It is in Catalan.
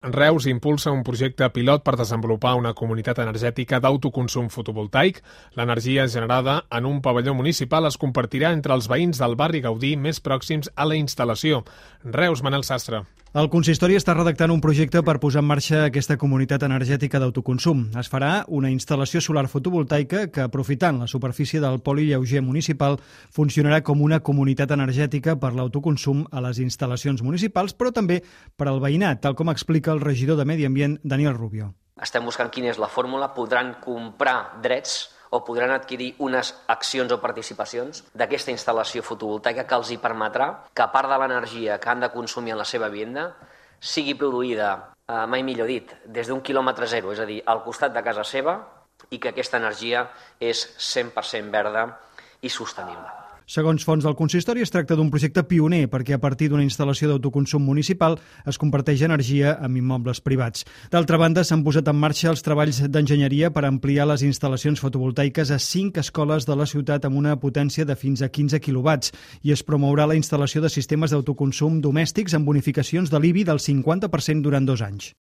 Reus impulsa un projecte pilot per desenvolupar una comunitat energètica d'autoconsum fotovoltaic. L'energia generada en un pavelló municipal es compartirà entre els veïns del barri Gaudí més pròxims a la instal·lació. Reus, Manel Sastre. El consistori està redactant un projecte per posar en marxa aquesta comunitat energètica d'autoconsum. Es farà una instal·lació solar fotovoltaica que, aprofitant la superfície del poli lleuger municipal, funcionarà com una comunitat energètica per l'autoconsum a les instal·lacions municipals, però també per al veïnat, tal com explica el regidor de Medi Ambient, Daniel Rubio. Estem buscant quina és la fórmula. Podran comprar drets o podran adquirir unes accions o participacions d'aquesta instal·lació fotovoltaica que els hi permetrà que part de l'energia que han de consumir en la seva vivenda sigui produïda, mai millor dit, des d'un quilòmetre zero, és a dir, al costat de casa seva, i que aquesta energia és 100% verda i sostenible. Segons fonts del consistori, es tracta d'un projecte pioner perquè a partir d'una instal·lació d'autoconsum municipal es comparteix energia amb immobles privats. D'altra banda, s'han posat en marxa els treballs d'enginyeria per ampliar les instal·lacions fotovoltaiques a 5 escoles de la ciutat amb una potència de fins a 15 quilowatts i es promourà la instal·lació de sistemes d'autoconsum domèstics amb bonificacions de l'IBI del 50% durant 2 anys.